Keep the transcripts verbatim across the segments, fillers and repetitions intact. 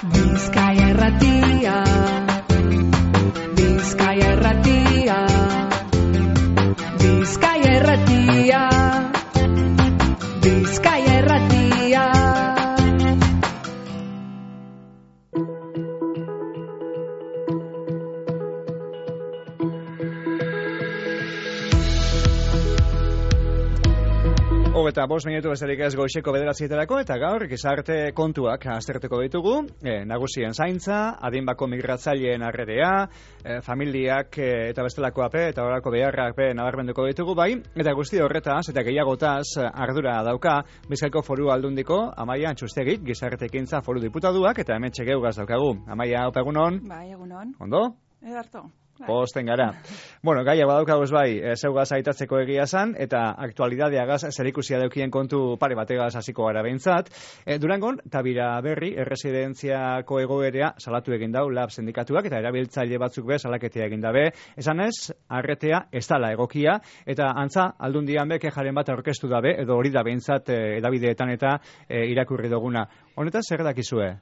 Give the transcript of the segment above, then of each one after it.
Bizkaia Irratia, Bizkaia Irratia, Bizkaia Irratia, Bizkaia Irratia. Eta bost minutu besterik ez goizeko bederatzietarako eta gaur gizarte kontuak aztertuko ditugu, e, nagusien zaintza, adinbako migratzaileen harrerea, e, familiak e, eta bestelako ape eta horako beharrak be nabarmenduko ditugu bai, eta guzti horretaz eta gehiagotaz ardura dauka Bizkaiko Foru Aldundiko Amaia Antxustegik, gizarte ekintza foru diputaduak eta hemen txegeugaz daukagu. Amaia, opa egunon? Bai, egunon. Ondo? Edarto. Posten gara. Bueno, gaia badaukaguz bai, e, zeugaz aitatzeko egia zan, eta aktualidadeagaz zerikusia daukien kontu pare bategaz hasiko gara behintzat. E, Durangon, Tabira Berri, erresidentziako egoerea salatu egin dau lab sindikatuak, eta erabiltzaile batzuk be salaketea egin dabe. Esan ez, arretea ez dala egokia, eta antza, aldundian be kejaren bat aurkeztu dabe, edo hori da behintzat e, edabideetan eta e, irakurri duguna. Honetaz, zer dakizue?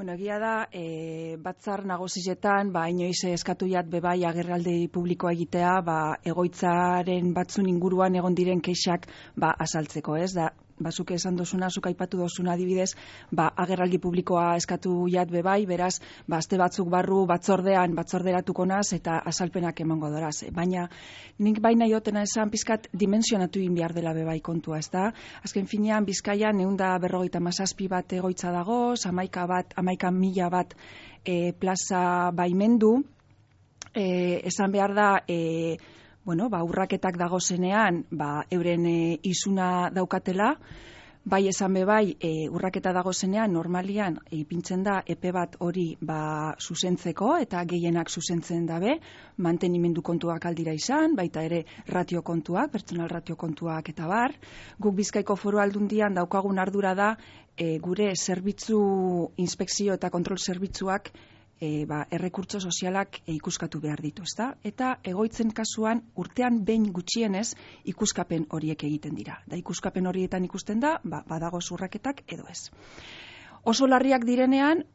Bueno, egia da, e, batzar nagusietan, ba, inoiz eskatu jat bebai agerraldi publikoa egitea, ba, egoitzaren batzun inguruan egon diren kexak, ba, asaltzeko, ez? Da, bazuk esan dozuna, zuk aipatu dozuna adibidez, ba, agerraldi publikoa eskatu jat bebai, beraz, ba, aste batzuk barru batzordean, batzorderatuko naz, eta asalpenak emango doraz. Baina, nik baina jotena esan pizkat dimensionatu egin behar dela bebai kontua, ez da? Azken finean, Bizkaian ehunda berrogeita hamazazpi bat egoitza dago, hamaika bat, hamaika mila bat e, plaza baimendu, e, esan behar da, e, bueno, ba, urraketak dagozenean, ba, euren e, izuna daukatela, bai esan be bai, e, urraketa dagozenean, normalian, ipintzen da, epe bat hori ba, zuzentzeko, eta gehienak zuzentzen dabe, mantenimendu kontuak aldira izan, baita ere ratio kontuak, pertsonal ratio kontuak eta bar. Guk Bizkaiko Foru Aldundian daukagun ardura da, e, gure zerbitzu, inspekzio eta kontrol zerbitzuak, E, ba, errekurtso sozialak e, ikuskatu behar ditu, ezta? Eta egoitzen kasuan urtean behin gutxienez ikuskapen horiek egiten dira. Da ikuskapen horietan ikusten da, ba, badago zurraketak edo ez. Oso larriak direnean,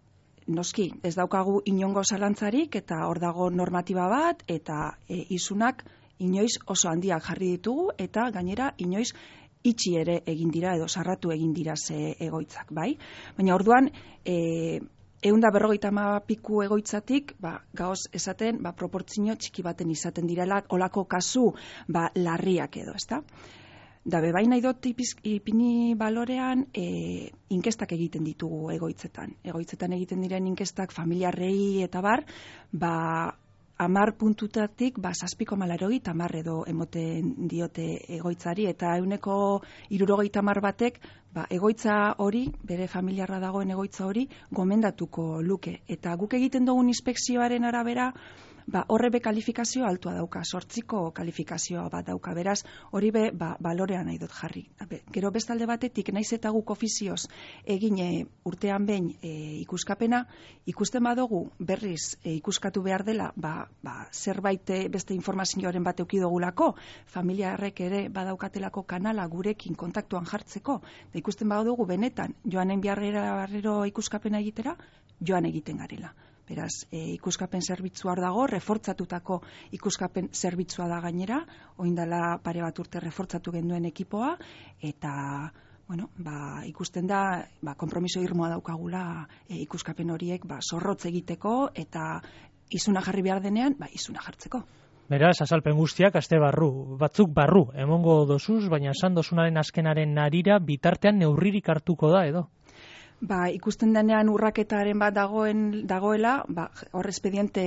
noski, ez daukagu inongo zalantzarik eta hor dago normatiba bat eta e, isunak inoiz oso handiak jarri ditugu eta gainera inoiz itxi ere egin dira edo sarratu egin dira ze egoitzak, bai? Baina orduan, e, Eunda berrogeita hamapiku egoitzatik, ba, gaoz esaten, ba, proportzio txiki baten izaten direla, olako kasu, ba, larriak edo, ezta? Da, bebai nahi dut ipini balorean, e, inkestak egiten ditugu egoitzetan. Egoitzetan egiten diren inkestak familiarrei eta bar, ba, amar puntutatik, ba, zazpiko malarogi, tamar edo emoten diote egoitzari, eta euneko irurogeita hamar batek, ba, egoitza hori, bere familiarra dagoen egoitza hori, gomendatuko luke. Eta guk egiten dugun inspekzioaren arabera, ba, horre be kalifikazio altua dauka, sortziko kalifikazioa bat dauka, beraz, hori be, ba, balorean nahi dut jarri. Be, gero bestalde batetik, naiz eta guk ofizioz egin e, urtean behin e, ikuskapena, ikusten badugu berriz e, ikuskatu behar dela, ba, ba, zerbait beste informazioaren bat eukidogulako, familiarrek ere badaukatelako kanala gurekin kontaktuan jartzeko, da ikusten badugu benetan, joanen biharrero ikuskapena egitera, joan egiten garela. Beraz, e, ikuskapen zerbitzua hor dago, refortzatutako ikuskapen zerbitzua da gainera, oindala pare bat urte refortzatu genduen ekipoa, eta bueno, ba, ikusten da, ba, konpromiso irmoa daukagula e, ikuskapen horiek ba, zorrotz egiteko, eta izuna jarri behar denean, ba, izuna jartzeko. Beraz, azalpen guztiak aste barru, batzuk barru, emongo dozuz, baina esan dozunaren azkenaren narira bitartean neurririk hartuko da, edo? Ba, ikusten denean urraketaren bat dagoen dagoela, ba, hor espediente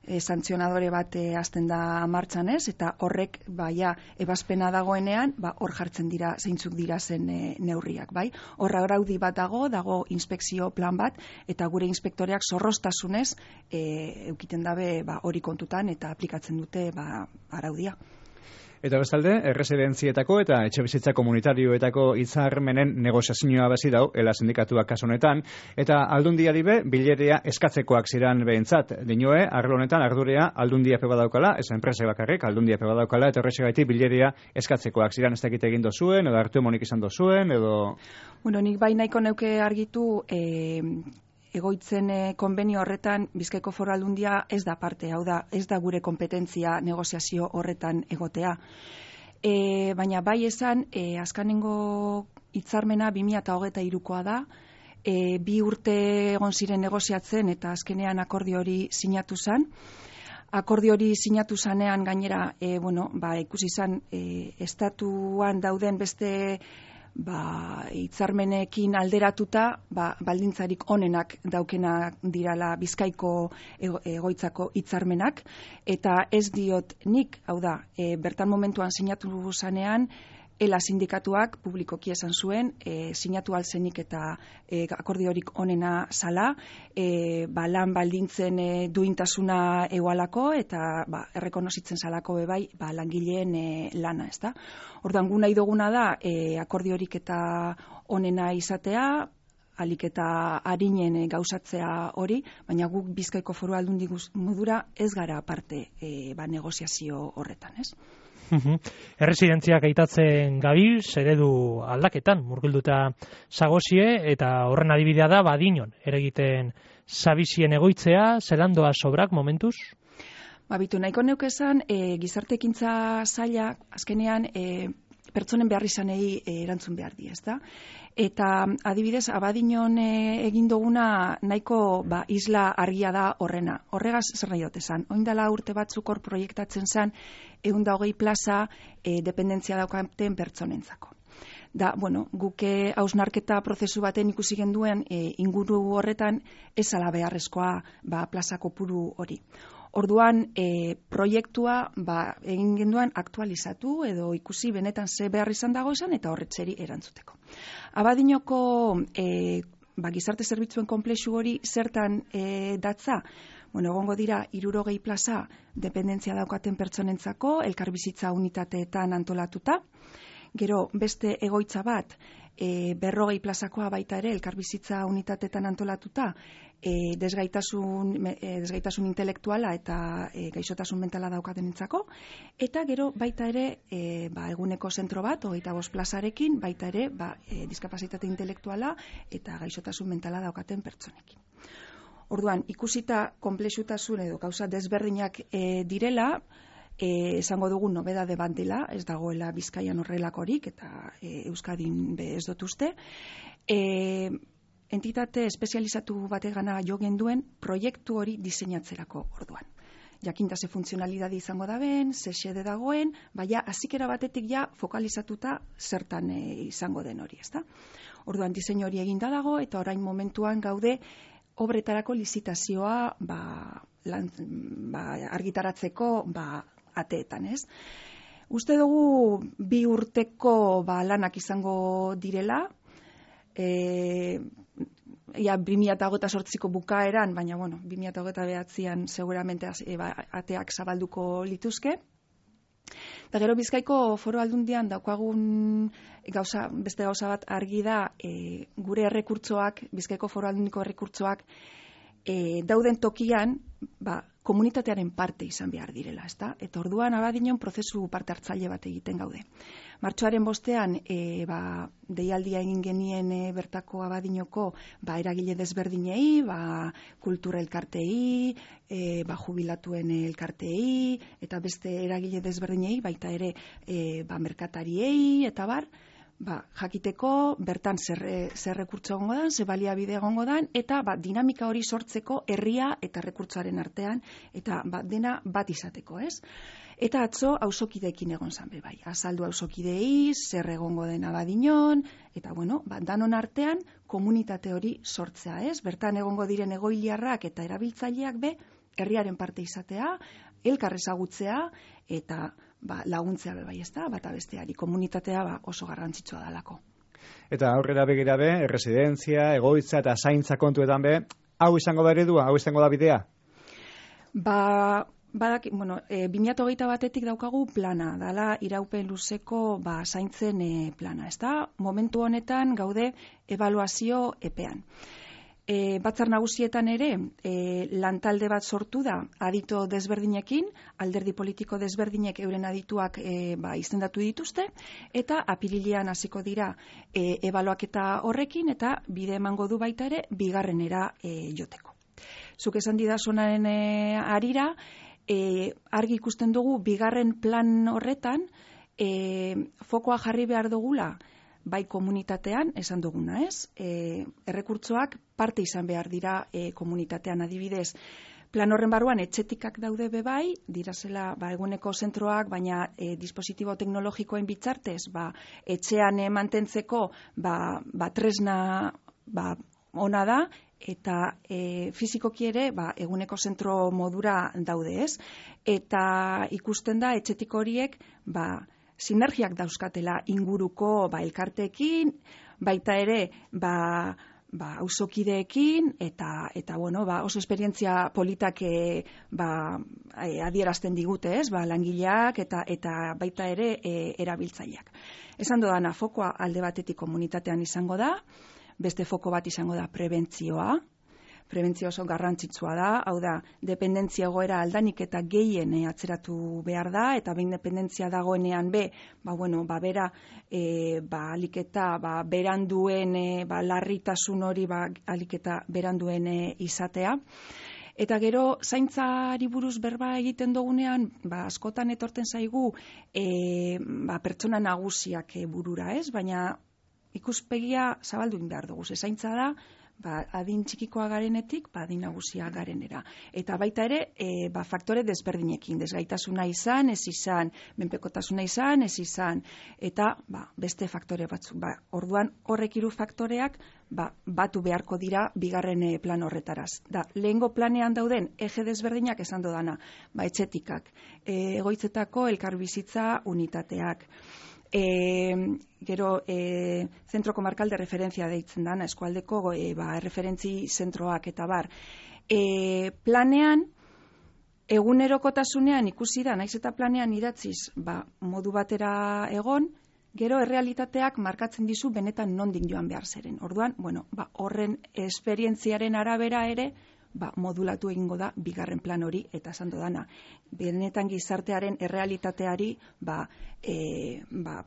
e, santzionadore bat e, hasten da martxan ez, eta horrek ba, ja, ebazpena dagoenean, ba, hor jartzen dira zeintzuk dira zen e, neurriak, bai? Horra araudi bat dago, dago inspekzio plan bat, eta gure inspektoreak zorroztasunez e, eukiten dabe ba, hori kontutan eta aplikatzen dute ba, araudia. Eta bestalde, erresidentzietako eta etxebizitza komunitarioetako hitzarmenen negoziazioa bazi dau, ela sindikatuak kasu honetan, eta aldundiari be, bilerea eskatzekoak ziran behintzat. Dinoe, arlo honetan ardurea aldundia pe badaukala, ez enpresa bakarrik, aldundia pe badaukala, eta horrexegatik bilerea eskatzekoak ziran ez dakit egin dozuen, edo hartu emonik izan dozuen, edo... Bueno, nik bai nahiko neuke argitu... Eh... egoitzen e, konbenio horretan Bizkaiko Foru Aldundia ez da parte, hau da, ez da gure kompetentzia negoziazio horretan egotea. E, baina bai esan, e, azkanengo hitzarmena bi mila hogeita hirukoa da, e, bi urte egon ziren negoziatzen eta azkenean akordio hori sinatu zen. Akordio hori sinatu zanean gainera, e, bueno, ba, ikusi izan e, estatuan dauden beste ba, hitzarmenekin alderatuta, ba, baldintzarik onenak daukenak dirala Bizkaiko ego, egoitzako hitzarmenak, eta ez diot nik, hau da, e, bertan momentuan sinatu zanean, Ela sindikatuak publikoki esan zuen, e, sinatu alzenik eta e, akordiorik onena zala, e, ba, lan baldintzen e, duintasuna egualako eta ba, errekonozitzen zalako bebai ba, langileen e, lana, ez da? Orduan gu nahi duguna da e, akordiorik eta onena izatea, alik eta harinen e, gauzatzea hori, baina guk Bizkaiko Foru Aldundi modura ez gara parte e, ba, negoziazio horretan, ez? Erresidentziak aitatzen gabiz, eredu aldaketan, murgilduta zagozie, eta horren adibidea da, badinon, eragiten zabizien egoitzea, zelandoa sobrak momentuz? Babitu, nahiko neuk esan, e, gizarte ekintza zaila, azkenean, e, pertsonen behar izanei e, erantzun behar di, ez da? Eta adibidez, abadinon e, egin duguna nahiko ba, isla argia da horrena. Horregaz zer nahi dut esan. Oindala urte batzuk hor proiektatzen zen, ehun eta hogei plaza e, dependentzia daukaten pertsonentzako. Da, bueno, guke hausnarketa prozesu baten ikusi genduen e, inguru horretan ez ala beharrezkoa ba, plaza kopuru hori. Orduan, e, proiektua ba, egin genduan aktualizatu edo ikusi benetan ze behar izan dago izan eta horretzeri erantzuteko. Abadinoko e, ba, gizarte zerbitzuen konplexu hori zertan e, datza? Bueno, egongo dira hirurogei plaza dependentzia daukaten pertsonentzako, elkarbizitza unitateetan antolatuta. Gero beste egoitza bat, e, berrogei plazakoa baita ere elkarbizitza unitateetan antolatuta, e, desgaitasun, e, desgaitasun intelektuala eta e, gaixotasun mentala daukatenentzako, eta gero baita ere e, ba, eguneko zentro bat, hogeita bost plazarekin, baita ere ba, e, diskapazitate intelektuala eta gaixotasun mentala daukaten pertsonekin. Orduan, ikusita konplexutasun edo gauza desberdinak e, direla, E, esango dugu nobedade bat dela, ez dagoela Bizkaian horrelakorik eta e, Euskadin be ez dut uste. E, entitate espezializatu bategana jo genduen proiektu hori diseinatzerako orduan. Jakinta ze funtzionalidade izango da ben, ze xede dagoen, baina hazikera batetik ja fokalizatuta zertan e, izango den hori, ezta? Orduan diseinu hori eginda dago eta orain momentuan gaude obretarako lizitazioa ba, lan, ba, argitaratzeko ba, ateetan, ez? Uste dugu bi urteko ba, lanak izango direla, e, ja, bi mila hogeita zortziko bukaeran, baina bueno, bi mila hogeita bederatzian seguramente e, ba, ateak zabalduko lituzke. Eta gero Bizkaiko Foru Aldundian daukagun gauza, beste gauza bat argi da, e, gure errekurtsoak, Bizkaiko Foru Aldundiko errekurtsoak, e, dauden tokian, ba, komunitatearen parte izan behar direla, ezta? Eta orduan abadinon prozesu parte hartzaile bat egiten gaude. Martxoaren bostean, e, ba, deialdia egin genien e, bertako abadinoko ba, eragile desberdinei, ba, kultura elkartei, e, ba, jubilatuen elkartei, eta beste eragile desberdinei, baita ere e, ba, merkatariei, eta bar, ba, jakiteko bertan zer, zer rekurtso egongo dan, zer baliabide egongo dan, eta ba, dinamika hori sortzeko herria eta rekurtsoaren artean, eta ba, dena bat izateko, ez? Eta atzo auzokideekin egon zan be bai. Azaldu auzokidei, zer egongo den abadinon, eta bueno, ba, danon artean komunitate hori sortzea, ez? Bertan egongo diren egoiliarrak eta erabiltzaileak be, herriaren parte izatea, elkar ezagutzea, eta ba, laguntzea be bai, ezta, bata besteari, komunitatea ba, oso garrantzitsua dalako. Eta aurrera begira be, erresidentzia, egoitza eta zaintza kontuetan be, hau izango da eredua, hau izango da bidea? Ba, badak, bueno, e, bi mila hogeita batetik daukagu plana, dala iraupen luzeko ba, zaintzen e, plana, ezta? Momentu honetan gaude ebaluazio epean. E, batzar nagusietan ere e, lantalde bat sortu da adito desberdinekin, alderdi politiko desberdinek euren adituak e, ba, izendatu dituzte, eta apirilean hasiko dira e, ebaluaketa horrekin, eta bide emango du baita ere bigarrenera e, joteko. Zuk esan didazunaren e, arira, e, argi ikusten dugu bigarren plan horretan e, fokoa jarri behar dugula, bai komunitatean, esan duguna, ez? E, errekurtsoak parte izan behar dira e, komunitatean, adibidez. Plan horren barruan etxetikak daude bebai, dirazela ba, eguneko zentroak, baina e, dispositibo teknologikoen bitzartez, ba, etxean e, mantentzeko ba, ba, tresna ba, ona da, eta e, fizikoki ere ba, eguneko zentro modura daude, ez? Eta ikusten da etxetik horiek ba, sinergiak dauzkatela inguruko ba, elkarteekin, baita ere ba, ba, auzokideekin, eta, eta bueno, ba, oso esperientzia politak e, ba, e, adierazten digute, ez? Ba, langileak eta, eta baita ere e, erabiltzaileak. Esan dodana, fokoa alde batetik komunitatean izango da, beste foko bat izango da prebentzioa. Prebentzio oso garrantzitsua da, hau da, dependentzia egoera aldanik eta gehien atzeratu behar da, eta behin dependentzia dagoenean be, ba, bueno, ba, bera, e, ba, aliketa, ba, beranduen, e, ba, larritasun hori, ba, aliketa beranduen e, izatea. Eta gero, zaintzari buruz berba egiten dugunean, ba, askotan etorten zaigu, e, ba, pertsona nagusiak e, burura, ez? Baina ikuspegia zabaldu egin behar dugu, ze zaintza da, ba, adin txikikoa garenetik, ba, adin nagusia garenera. Eta baita ere, e, ba, faktore desberdinekin, desgaitasuna izan, ez izan, menpekotasuna izan, ez izan, eta ba, beste faktore batzuk. Ba, orduan horrek hiru faktoreak ba, batu beharko dira bigarren plan horretaraz. Da, lehengo planean dauden eje desberdinak esan dodana, ba, etxetikak, e, egoitzetako elkarbizitza unitateak, E, gero e, zentro komarkal de referentzia deitzen dana, eskualdeko e, ba, referentzi zentroak eta bar. E, planean, egunerokotasunean ikusi da, naiz eta planean idatziz ba, modu batera egon, gero errealitateak markatzen dizu benetan nondik joan behar zeren. Orduan, bueno, ba, horren esperientziaren arabera ere, ba, modulatu egingo da bigarren plan hori, eta esan dodana, benetan gizartearen errealitateari ba, e, ba,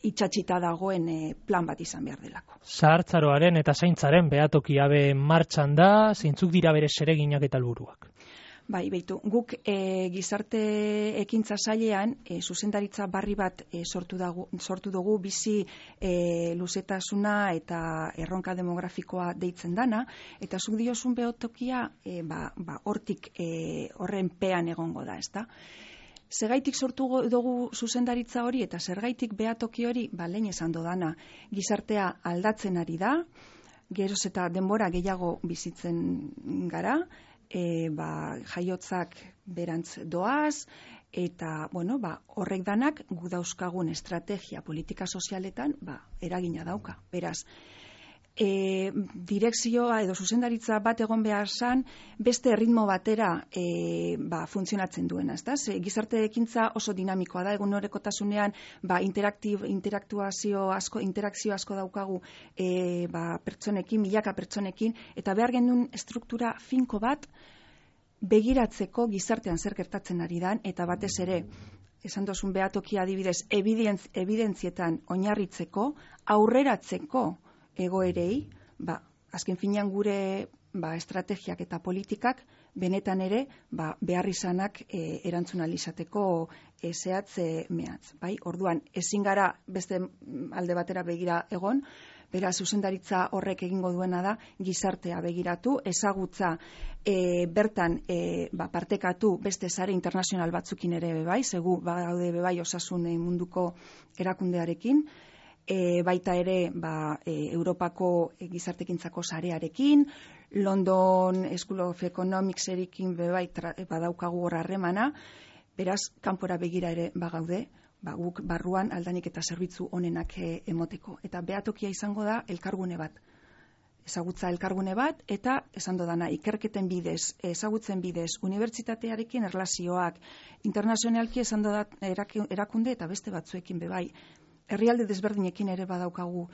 itxatxita dagoen e, plan bat izan behar delako. Zahartzaroaren eta zaintzaren behatokiabe martxan da, zeintzuk dira bere zereginak eta helburuak. Bai, beitu, guk e, gizarte ekintza sailean e, zuzendaritza barri bat e, sortu, dagu, sortu dugu bizi e, luzetasuna eta erronka demografikoa deitzen dana, eta zuk diozun behotokia e, ba, ba, hortik e, horren pean egongo da, ezta? Zergaitik sortu dugu zuzendaritza hori eta zergaitik behatoki hori, ba, lehen esan dodana, gizartea aldatzen ari da, geroz eta denbora gehiago bizitzen gara, E, ba, jaiotzak berantz doaz, eta bueno, ba, horrek danak gu dauzkagun estrategia politika sozialetan ba, eragina dauka. Beraz, e, direkzioa edo zuzendaritza bat egon behar zan, beste ritmo batera e, ba, funtzionatzen duena. Ezta? Ze, gizarte ekintza oso dinamikoa da, egun horrekotasunean ba, interaktuazio asko, interakzio asko daukagu e, ba, pertsonekin, milaka pertsonekin, eta behar genuen struktura finko bat begiratzeko gizartean zer gertatzen ari dan, eta batez ere, esan dozun behatokia adibidez, evidentz, evidentzietan oinarritzeko, aurreratzeko egoerei, ba, azken finean gure ba, estrategiak eta politikak benetan ere ba, behar izanak e, erantzunalizateko e, zehatz e, mehatz. Bai? Orduan, ezin gara beste alde batera begira egon, beraz, zuzendaritza horrek egingo duena da, gizartea begiratu, ezagutza e, bertan e, ba, partekatu beste sare internazional batzukin ere bebai, segu badaude bebai osasun e, munduko erakundearekin, E, baita ere ba, e, Europako e, gizartekintzako sarearekin, London School of Economicserekin bebai badaukagu hor harremana, beraz, kanpora begira ere bagaude, ba, guk barruan aldanik eta zerbitzu onenak e, emoteko. Eta behatokia izango da elkargune bat. Ezagutza elkargune bat, eta esan dodana, ikerketen bidez, ezagutzen bidez, unibertsitatearekin erlazioak, internazionalki esan dodat erakunde eta beste batzuekin bebai, herrialde desberdinekin ere badaukagu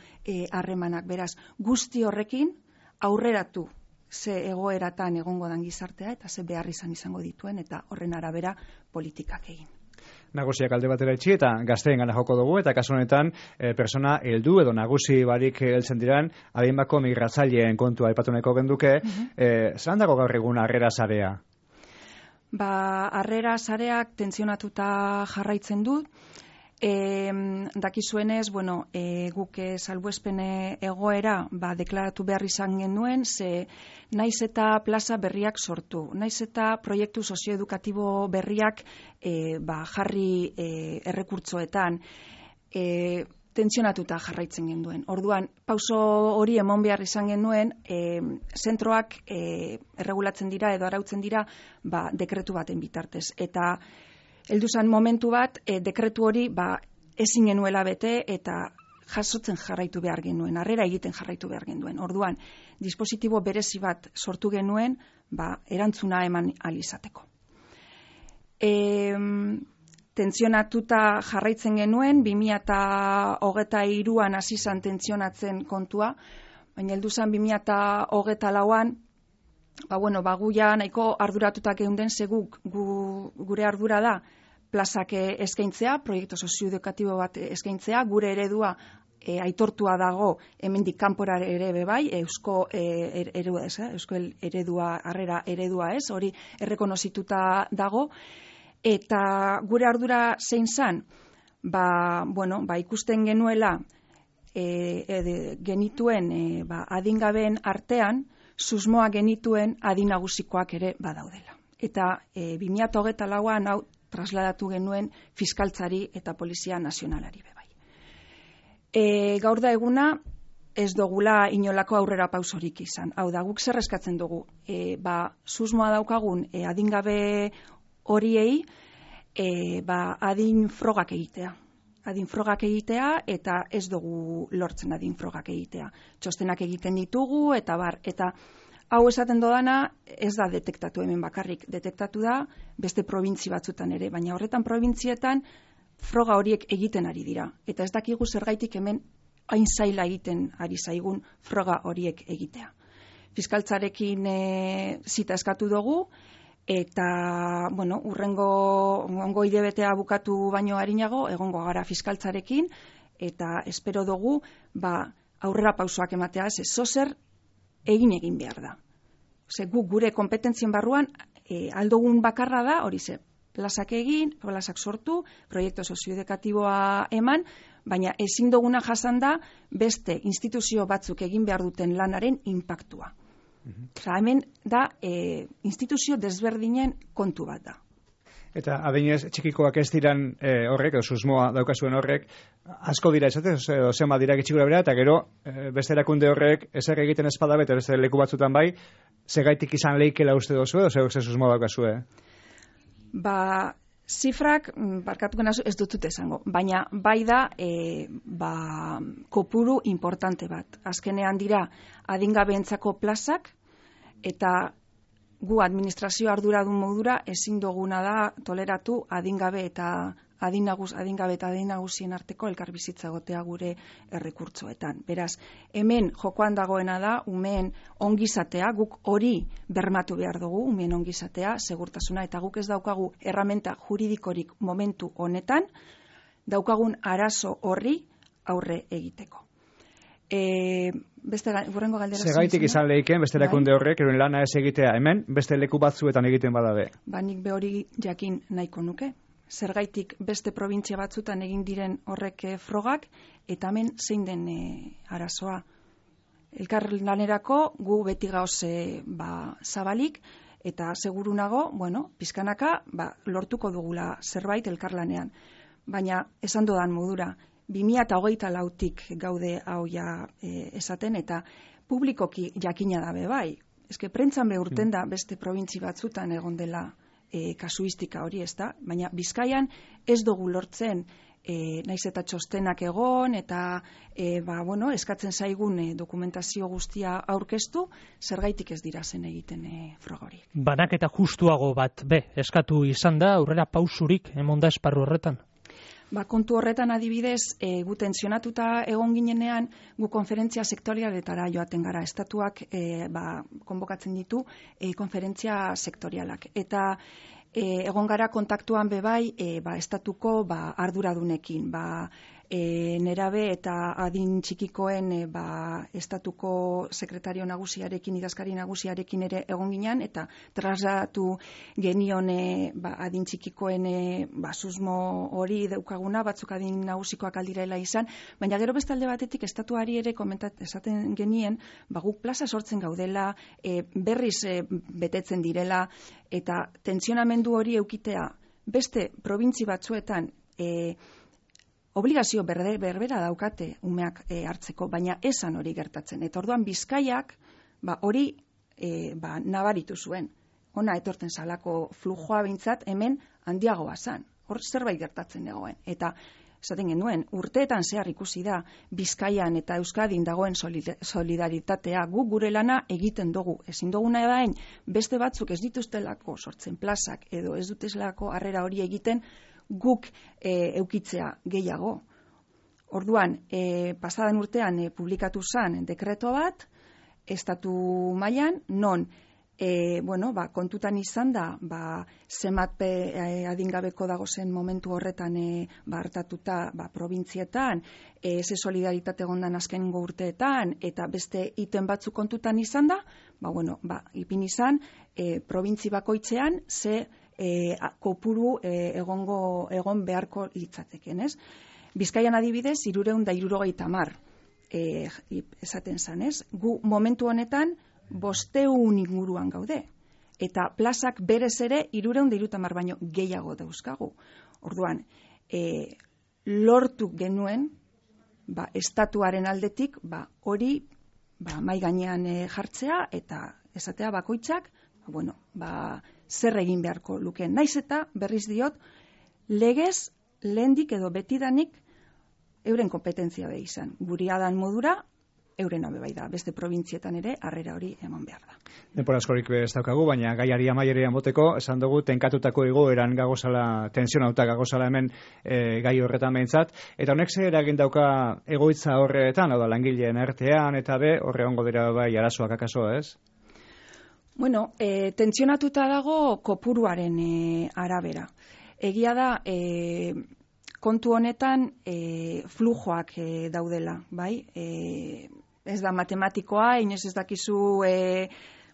harremanak. E, beraz, guzti horrekin aurreratu ze egoeratan egongo dan gizartea eta ze behar izan izango dituen eta horren arabera politikak egin. Nagusiak alde batera itxi eta gazteen gana joko dugu eta kasu honetan e, persona heldu edo nagusi barik heltzen diran adinbako migratzaileen kontua aipatu nahiko genduke. Mm-hmm. e, Zeran dago gaur egun harrera sarea? Ba, harrera sareak tentzionatuta jarraitzen du. E, dakizuenez, bueno, e, guk e, salbuespene egoera ba, deklaratu behar izan genuen, ze naiz eta plaza berriak sortu, naiz eta proiektu sozioedukatibo berriak e, ba, jarri e, errekurtzoetan, e, tentzionatuta jarraitzen genuen. Orduan, pauso hori emon behar izan genuen, e, zentroak e, erregulatzen dira edo arautzen dira ba, dekretu baten bitartez. Eta heldu zen momentu bat, e, dekretu hori ba, ezin genuela bete eta jasotzen jarraitu behar genuen, harrera egiten jarraitu behar genuen. Orduan, dispositibo berezi bat sortu genuen, ba, erantzuna eman alizateko. E, tentzionatuta jarraitzen genuen, bi mila hogeita hiruan hasi zen tentzionatzen kontua, baina heldu zen bi mila hogeita lauan, ba, bueno, ba, gu ja nahiko arduratutak geunden, ze guk, gu, gure ardura da, plazak eskaintzea, proiektu sozioedukatibo bat eskaintzea, gure eredua e, aitortua dago hemendik kanpora ere bebai, eusko e, eredua ez, eh? eusko eredua, harrera eredua ez, hori errekonozituta dago, eta gure ardura zein zan, ba, bueno, ba, ikusten genuela e, e, genituen e, ba, adingabeen artean, susmoa genituen adinagusikoak ere badaudela. Eta e, bi mila hogeita lauan hau trasladatu genuen fiskaltzari eta polizia nazionalari bebai. E, gaur da eguna ez dugula inolako aurrera pausorik izan. Hau da, guk zer eskatzen dugu. E, ba, susmoa daukagun e, adingabe horiei e, ba, adin frogak egitea. Adin frogak egitea eta ez dugu lortzen adin frogak egitea. Txostenak egiten ditugu eta bar, eta hau esaten dodana ez da detektatu hemen bakarrik, detektatu da beste probintzi batzutan ere, baina horretan probintzietan froga horiek egiten ari dira. Eta ez dakigu zergaitik hemen hain zaila egiten ari zaigun froga horiek egitea. Fiskaltzarekin e, zita eskatu dugu, eta, bueno, urrengo ongo hilebetea bukatu baino arinago, egongo gara fiskaltzarekin, eta espero dugu, ba, aurrera pausoak ematea, ez zozer egin egin behar da. Ze guk gure kompetentzien barruan e, aldogun bakarra da, hori ze, plazak egin, plazak sortu, proiektu sozioedukatiboa eman, baina ezin duguna jasan da beste instituzio batzuk egin behar duten lanaren inpaktua. Mm-hmm. Osa, hemen da e, instituzio desberdinen kontu bat da. Eta adinez txikikoak ez diran e, horrek, edo susmoa daukazuen horrek, asko dira esatez, zenbat dira gitxikura bera, eta gero e, beste erakunde horrek ezer egiten espada bete beste leku batzutan bai, segaitik izan leikela uste dozu edo zer susmoa daukazue? Ba, zifrak, barkatuko nazu, ez dutut esango, baina bai da e, ba, kopuru importante bat. Azkenean dira adingabeentzako plazak, eta gu administrazio arduradun modura ezin duguna da toleratu adingabe eta adinagus, adingabe eta adinagusien arteko elkarbizitza egotea gure errekurtzoetan. Beraz, hemen jokoan dagoena da, umeen ongizatea, guk hori bermatu behar dugu, umeen ongizatea, segurtasuna, eta guk ez daukagu erramenta juridikorik momentu honetan, daukagun arazo horri aurre egiteko. E, beste gurrengo galdera segaitik izan leiken beste erakunde horrek euren lana ez egitea hemen beste leku batzuetan egiten badabe. Ba, nik be hori jakin nahiko nuke. Zergaitik beste probintzia batzutan egin diren horrek frogak eta hemen zein den e, arazoa. Elkar lanerako gu beti gauz e, ba, zabalik eta seguru nago, bueno, pizkanaka ba, lortuko dugula zerbait elkarlanean. Baina esan dodan modura, bi mila hogeita lautik gaude hau ja e, esaten, eta publikoki jakina dabe bai. Eske prentzan behurten da beste probintzi batzutan egon dela e, kasuistika hori, ez da? Baina Bizkaian ez dugu lortzen e, naiz eta txostenak egon, eta e, ba, bueno, eskatzen zaigun e, dokumentazio guztia aurkeztu, zergaitik ez dira zen egiten e, froga horiek. Banaketa justuago bat, be, eskatu izan da, aurrera pausurik emonda esparru horretan? Ba, kontu horretan adibidez, e, gu tensionatuta egon ginenean, gu konferentzia sektorialetara joaten gara. Estatuak e, ba, konbokatzen ditu e, konferentzia sektorialak. Eta e, egon gara kontaktuan bebai e, ba, estatuko ba, arduradunekin. Ba, e, nerabe eta adin txikikoen e, ba, estatuko sekretario nagusiarekin, idazkari nagusiarekin ere egon ginen, eta trasladatu genion e, ba, adin txikikoen e, ba, susmo hori daukaguna, batzuk adin nagusikoak aldirela izan, baina gero bestalde batetik estatuari ere komentat esaten genien, ba, guk plaza sortzen gaudela, e, berriz e, betetzen direla, eta tentsionamendu hori eukitea beste probintzi batzuetan e, obligazio berde, berbera daukate umeak e, hartzeko, baina esan hori gertatzen. Eta orduan Bizkaiak ba, hori e, ba, nabaritu zuen. Ona etorten salako flujoa bintzat hemen handiagoa zan. Hor zerbait gertatzen dagoen. Eta esaten genuen, urteetan zehar ikusi da Bizkaian eta Euskadin dagoen solidaritatea, gu gure lana egiten dugu. Ezin duguna edain, beste batzuk ez dituztelako sortzen plazak edo ez dutezlako harrera hori egiten, guk e, eukitzea gehiago. Orduan, e, pasadan urtean e, publikatu zen dekreto bat, estatu mailan, non e, bueno, ba, kontutan izan da, ba, zenbat e, adingabeko dago zen momentu horretan e, ba, hartatuta ba, probintzietan, e, ze solidaritate gondan azkenengo urteetan, eta beste iten batzuk kontutan izan da, ba, bueno, ba, ipin izan, e, probintzi bakoitzean, ze E, kopuru e, egongo egon beharko litzateken, ez? Bizkaian adibidez, hirureun da hirurogeita hamar e, esaten zan, ez? Gu momentu honetan bosteun inguruan gaude. Eta plazak berez ere hirureun da hirurogeita hamar baino gehiago dauzkagu. Orduan, e, lortu genuen, ba, estatuaren aldetik, ba, hori ba, mai gainean e, jartzea eta esatea bakoitzak, ba, bueno, ba, zer egin beharko lukeen. Naiz eta, berriz diot, legez, lehendik edo betidanik euren kompetentzia be izan. Guriadan modura, euren abe bai da. Beste probintzietan ere, harrera hori eman behar da. Denpora askorik ez daukagu, baina gaiari amaierean boteko, esan dugu, tenkatutako egoeran gagozala, tensionauta gagozala hemen e, gai horretan behintzat, eta honek zer eragin dauka egoitza horretan, hau da, langileen artean, eta be, horre ongo dira bai arazoak akaso, ez? Bueno, e, tentsionatuta dago kopuruaren e, arabera. Egia da, e, kontu honetan e, flujoak e, daudela, bai? E, ez da matematikoa, inoiz ez dakizu e,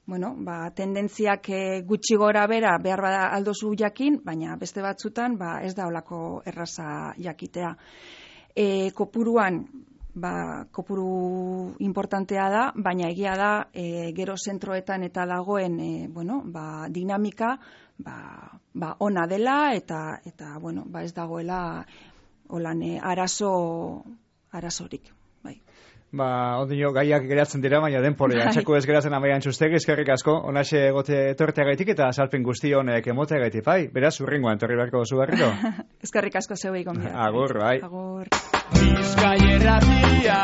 bueno, ba, tendentziak e, gutxi gora bera behar bada aldozu jakin, baina beste batzutan ba, ez da olako erraza jakitea. E, kopuruan, ba, kopuru importantea da, baina egia da e, gero zentroetan eta dagoen e, bueno, ba, dinamika ba, ba, ona dela eta, eta bueno, ba, ez dagoela holan e, arazo arazorik. Bai. Ba, ondino gaiak geratzen dira, baina denporea. Txeko ez geratzen amaian txustegi, eskerrik asko, onaxe egote torteagaitik eta salpen guzti honek emoteagaitik, bai? Beraz, urrengoan, torri beharko zu barriro. Eskerrik asko zeuei gonbidat. Agur, bai. Agur. Bizkai erratia